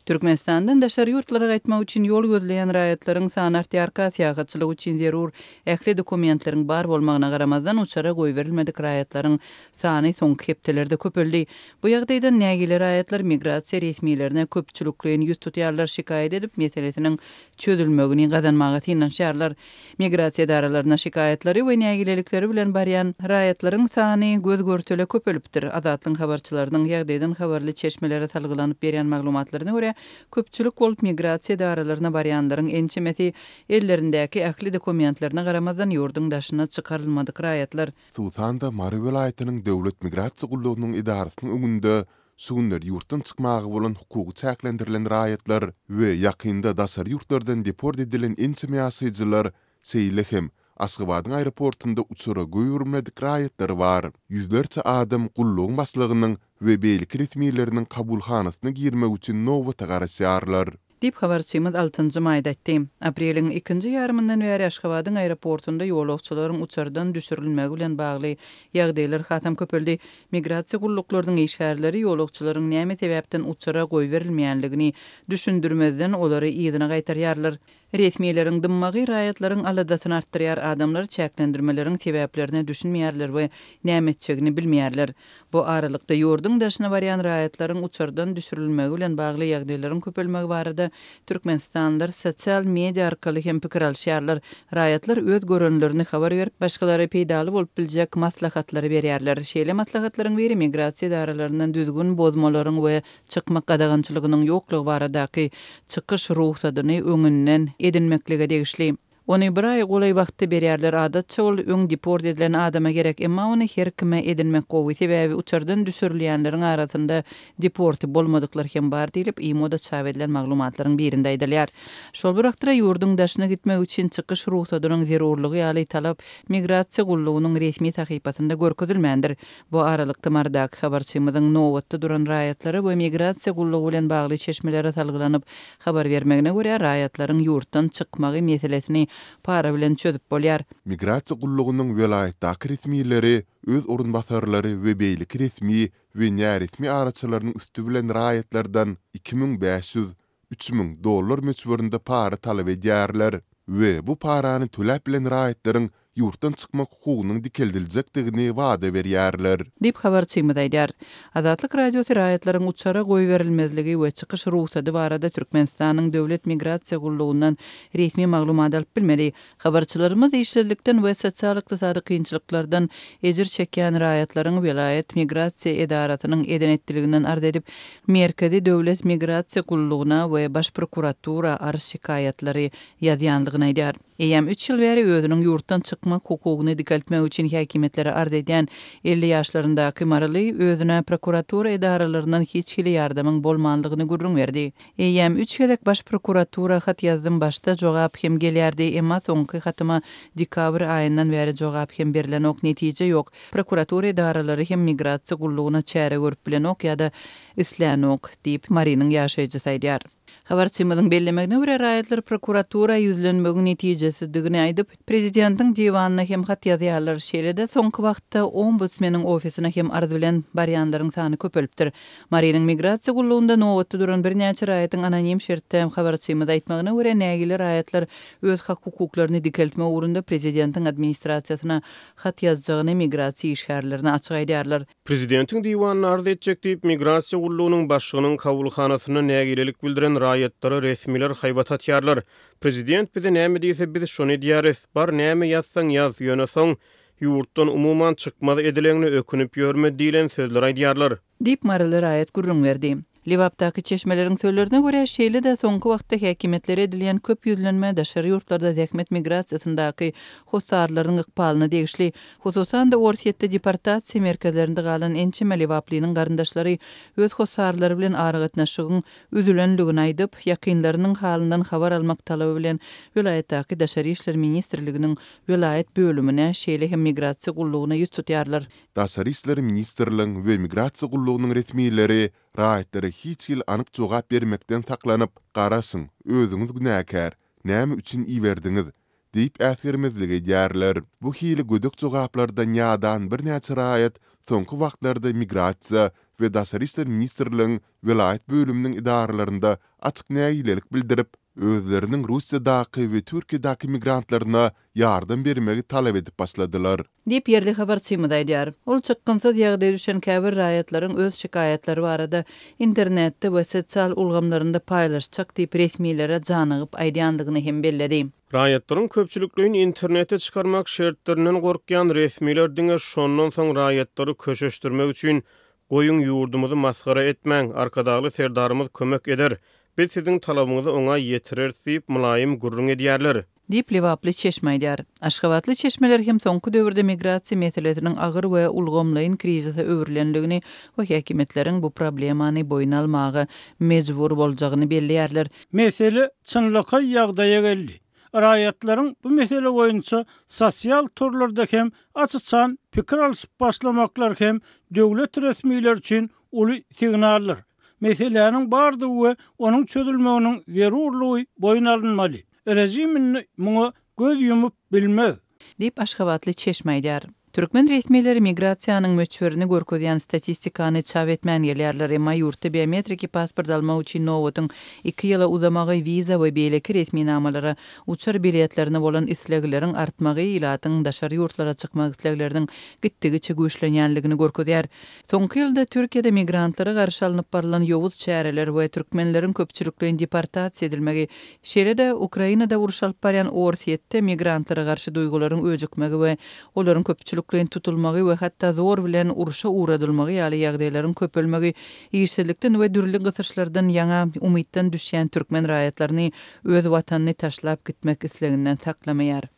Türkmenistandan daşary ýurtlara gaýtmak üçin ýol gözleýän raýatlaryň sany artýarka, syýahatçylyk üçin zerur ähli dokumentleriň bar bolmagyna garamazdan, uçara goýberilmedik raýatlaryň sany soňky hepdelerde köpeldi. Bu ýagdaýdan nägile raýatlar migrasiýa resmilerine köpçülikleýin ýüz tutýarlar, şikaýat edip, meselesiniň çözülmegini gazanmaga synanyşýarlar. Migrasiýa edaralaryna şikaýatlary we nägilelikleri bilen barýan raýatlaryň sany göz-görtele köpelipdir. Azatlygyň habarçylarynyň ýagdaýdan habarly çeşmelere salgylanyp berýän maglumatlaryna görä, köpçülik bolup migrasiýa edaralaryna barýanlaryň ençemesi ellerindäki ähli dokumentlerine garamazdan ýurduň daşyna çykarylmadyk raýatlar. Hususan-da, Mary welaýatynyň Döwlet migrasiýa gullugynyň edarasynyň öňünde Şu günler ýurtdan çykmaga bolan hukugy çäklendirilen raýatlar we ýakynda daşary ýurtlardan deport edilen ençeme ýaşaýjylar, şeýle hem Aşgabadyň aeroportunda uçara goýberilmedik raýatlar bar. Ýüzlerçe adam gullugyň başlygynyň we beýleki resmileriniň kabulhanasyna girmek üçin nobata garaşýarlar. Diýip, habarçymyz altynjy maýda aýtdy. Apreliň ikinji ýarymyndan bäri Aşgabadyň aeroportunda ýolagçylaryň uçardan düşürilmegi bilen bagly ýagdaýlar hasam köpeldi. Migrasiýa gulluklarynyň işgärleri ýolagçylaryň näme sebäpden uçara goýberilmeýänligini düşündirmezden olary yzyna gaýtarýarlar. Resmileriň dymmagy raýatlaryň aladasyny artdyrýar, adamlar çäklendirmeleriň sebäplerine düşünmeýärler we näme etjegini bilmeýärler. Bu aralykda, ýurduň daşyna barýan raýatlaryň uçardan düşürilmegi bilen bagly ýagdaýlaryň köpelmegi barada türkmenistanlylar sosial media arkaly hem pikir alyşýarlar. Raýatlar öz görenlerini habar berip, başgalara peýdaly bolup biljek maslahatlary berýärler. Şeýle maslahatlaryň biri migrasiýa edaralaryndan düzgün bozmalaryň we çykmak gadagançylygynyň ýoklugy baradaky çykyş rugsadyny öňünden edinmeklige degişli. Ony bir aý golaý wagtda berýärler, adatça ol öň deport edilen adama gerek, emma ony her kime edinmek gowy, sebäbi uçardan düşürilýänleriň arasynda deporty bolmadyklar hem bar diýlip, IMO-da çap edilen maglumatlaryň birinde aýdylýar. Şol bir wagtda ýurduň daşyna gitmek üçin çykyş rugsadynyň zerurlygy ýaly talap Migrasiýa gullugynyň resmi sahypasynda görkezilmändir. Bu aralykda Marydaky habarçymyzyň nobatda duran raýatlara we migrasiýa gullugy bilen bagly çeşmelere salgylanyp habar bermegine görä, raýatlaryň ýurtdan çykmagy meselesini para bilen çözüp bolýar. Migrasiýa gullugynyň welaýatdaky resmileri öz orunbasarlary we beýleki resmi we näresmi araçylarynyň üsti bilen raýatlardan 2500, 3000 dollar möçberinde para talap edýärler we bu parany töläp bilen raýatlaryň ýurtdan çykmak hukugynyň dikeldiljekdigini wada berýärler. Diýip, habarçymyz aýdýar. Azatlyk Radiosy raýatlaryň uçara goýberilmezligi we çykyş rugsady barada Türkmenistanyň Döwlet migrasiýa gullugyndan resmi maglumat alyp bilmedi. Habarçylarymyz işsizlikden we sosial-ykdysady kynçylyklardan ejir çekýän raýatlaryň welaýat migrasiýa edarasynyň eden-etdiliginden arz edip, Merkezi döwlet migrasiýa gullugyna we Baş prokuratura arz-şikaýatlary ýazýandygyny aýdýar. Eýýäm üç ýyl bäri özüniň ýurtdan çykmak hukugyny dikeltmek üçin häkimiýetlere arz edýän 50 ýaşlaryndaky maryly özüne prokuratura edaralaryndan hiç hili ýardamyň bolmandygyny gürrüň berdi. Eýýäm üç gezek Baş prokuratura hat ýazdym, başda jogap hem gelýärdi, emma soňky hatyma dekabr aýyndan bäri jogap hem berlenok, netije ýok. Prokuratura edaralary hem migrasiýa gullugyna çäre görüp bilenok ýa-da islänok, diýip, Marynyň ýaşaýjysy aýdýar. Habarçymyzyň bellemegine görä, raýatlar prokuratura ýüzlenmegiň netijesizdigini aýdyp, prezidentiň diwanyna hem hat ýazýarlar. Şeýle-de, soňky wagtda ombudsmeniň ofisine hem arz bilen barýanlaryň sany köpelipdir. Marynyň migrasiýa gullugynda nobatda duran birnäçe raýatyň anonim şertde habarçymyza aýtmagyna görä, nägile raýatlar öz hak-hukuklaryny dikeltmek ugrunda prezidentiň administrasiýasyna hat ýazjagyny migrasiýa işgärlerine açyk aýdýarlar. Prezidentiň diwanyna arz etjek diýip, migrasiýa gullugynyň başlygynyň kabulhanasynda nägilelik bildiren raýatlara resmiler haýbat atýarlar. Prezident bize näme diýse, biz şony edýäris. Bar, näme ýazsaň ýaz, ýöne soň, ýurtdan umuman çykmaz edileňine ökünip ýörme diýlen sözleri aýdýarlar. Diýip, maryly raýat gürrüň berdi. Lebapdaky çeşmeleriň sözlerine görä, şeýle-de soňky wagtda häkimiýetlere edilýän köp ýüzlenme daşary ýurtlarda zähmet migrasiýasyndaky hossarlaryň ykbalyna degişli. Hususan-da, Orsýetde deportasiýa merkezlerinde galan ençeme lebaplynyň garyndaşlary öz hossarlary bilen aragatnaşygyň üzülendigini aýdyp, ýakynlarynyň halyndan habar almak talaby bilen welaýatdaky Daşary işler ministrliginiň welaýat bölümine, şeýle hem migrasiýa gullugyna ýüz tutýarlar. Daşary işler ministrligiň we migrasiýa gullugynyň resmileri raýatlara hiç hili anyk jogap bermekden saklanyp, garaşyň, özüňiz günäkär, näme üçin iberdiňiz? diýip äsgermezlik edýärler. Bu hili gödek jogaplardan ýadan birnäçe raýat soňky wagtlarda Migrasiýa we daşary işler ministrligiň welaýat bölüminiň edaralarynda açyk nägilelik bildirip, özleriniň Russiýadaky we Türkiýedäki migrantlaryna ýardam bermegi talap edip başladylar. Diýip, ýerli habarçymyz aýdýar. Ol çykgynsyz ýagdaýa düşen käbir raýatlaryň öz şikaýatlary barada internetde we sosial ulgamlarynda paýlaşjak diýip resmilere janygyp aýdýandygyny hem belledi. Raýatlaryň köpçülikleýin internete çykarmak şertlerinden gorkýan resmiler diňe şondan soň raýatlary köşeşdirmek üçin Goýuň ýurdumyzy masgara etmäň, Arkadagly Serdarymyz kömek eder, biz siziň talabyňyzy oňa ýetireris diýip mylaýym gürrüň edýärler. Diýip, lebaply çeşme aýdýar. Aşgabatly çeşmeler hem soňky döwürde migrasiýa meselesiniň agyr we ulgamlaýyn krizise öwrülendigini we häkimiýetleriň bu problemany boýun almaga mejbur boljagyny belleýärler. Mesele çynlakaý ýagdaýa geldi. Raýatlaryň bu mesele boýunça sosial torlarda hem aç-açan pikir alşyp başlamaklary hem döwlet resmileri üçin uly signaldyr. Meseläniň bardygy we onuň çözülmeginiň zerurlygy boýun alynmaly. Režim indi muňa göz ýumup bilmez. Diýip, aşgabatly çeşme aýdýar. Türkmen resmileri migrasiýanyň möçberini görkezýän statistikany çap etmän gelýärler, emma ýurtda biometriki pasport almak üçin nobatyň iki ýyla uzamagy, wiza we beýleki resminamalara, uçar biletlerine bolan islegleriň artmagy ilatyň daşary ýurtlara çykmak islegleriniň gitdigiçe güýçlenýänligini görkezýär. Soňky ýylda Türkiýede migrantlara garşy alnyp barlan ýowuz çäreler we türkmenleriň köpçülikleýin deportasiýa edilmegi, şeýle-de Ukrainada uruş alyp barýan Orsýetde migrantlara garşy duýgularyň öjükmegi we olaryň köpçülikleýin tutulmagy we hatda zor bilen urşa ugradylmagy ýaly ýagdaýlaryň köpelmegi işsizlikden we dürli gysyşlardan ýaňa umytdan düşýän türkmen raýatlaryny öz watanyny taşlap gitmek isleginden saklamaýar.